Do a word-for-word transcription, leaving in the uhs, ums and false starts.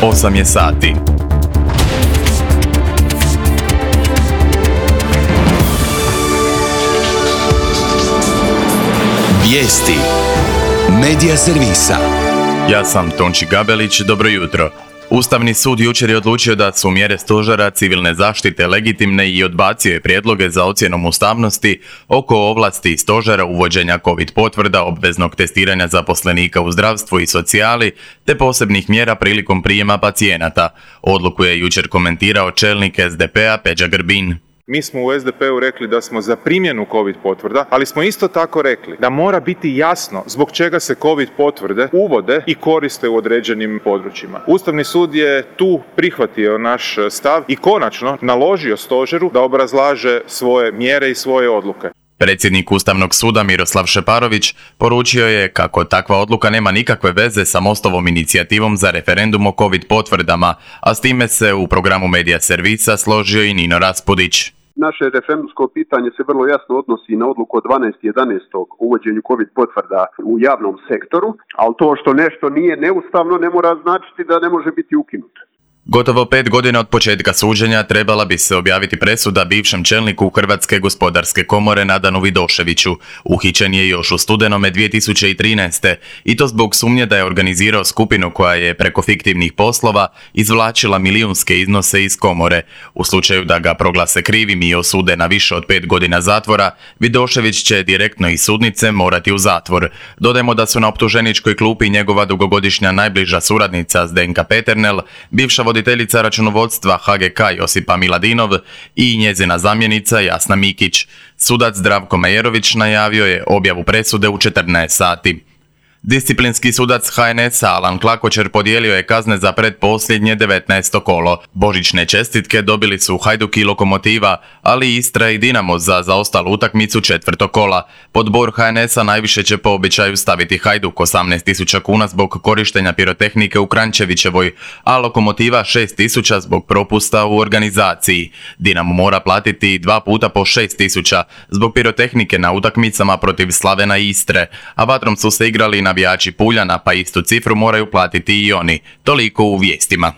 osam je sati. Vijesti Medija servisa. Ja sam Tonči Gabelić, dobro jutro. Ustavni sud jučer je odlučio da su mjere stožera civilne zaštite legitimne i odbacio je prijedloge za ocjenom ustavnosti oko ovlasti stožera uvođenja COVID potvrda, obveznog testiranja zaposlenika u zdravstvu i socijali, te posebnih mjera prilikom prijema pacijenata. Odluku je jučer komentirao čelnik es de pe a Peđa Grbin. Mi smo u es de pe u rekli da smo za primjenu COVID potvrda, ali smo isto tako rekli da mora biti jasno zbog čega se COVID potvrde uvode i koriste u određenim područjima. Ustavni sud je tu prihvatio naš stav i konačno naložio stožeru da obrazlaže svoje mjere i svoje odluke. Predsjednik Ustavnog suda Miroslav Šeparović poručio je kako takva odluka nema nikakve veze sa Mostovom inicijativom za referendum o COVID potvrdama, a s time se u programu Medija servisa složio i Nino Raspudić. Naše referendumsko pitanje se vrlo jasno odnosi na odluku od dvanaestog jedanaestog o uvođenju COVID potvrda u javnom sektoru, ali to što nešto nije neustavno ne mora značiti da ne može biti ukinuto. Gotovo pet godina od početka suđenja trebala bi se objaviti presuda bivšem čelniku Hrvatske gospodarske komore Nadanu Vidoševiću. Uhićen je još u studenome dvije tisuće trinaeste. i to zbog sumnje da je organizirao skupinu koja je preko fiktivnih poslova izvlačila milijunske iznose iz komore. U slučaju da ga proglase krivim i osude na više od pet godina zatvora, Vidošević će direktno iz sudnice morati u zatvor. Dodajmo da su na optuženičkoj klupi njegova dugogodišnja najbliža suradnica Zdenka Peternel, bivša voditeljica računovodstva ha ge ka Josipa Miladinov i njezina zamjenica Jasna Mikić. Sudac Zdravko Mejerović najavio je objavu presude u četrnaest sati. Disciplinski sudac ha en es a Alan Klakočer podijelio je kazne za pretposljednje devetnaesto kolo. Božićne čestitke dobili su Hajduk i Lokomotiva, ali Istra i Dinamo za zaostalu utakmicu četvrtog kola. Pod bor ha en es a najviše će po običaju staviti Hajduk osamnaest tisuća kuna zbog korištenja pirotehnike u Kranjčevićevoj, a Lokomotiva šest tisuća zbog propusta u organizaciji. Dinamo mora platiti dva puta po šest tisuća zbog pirotehnike na utakmicama protiv Slavena i Istre, a vatrom su se igrali navijači Puljana, pa istu cifru moraju platiti i oni. Toliko u vijestima.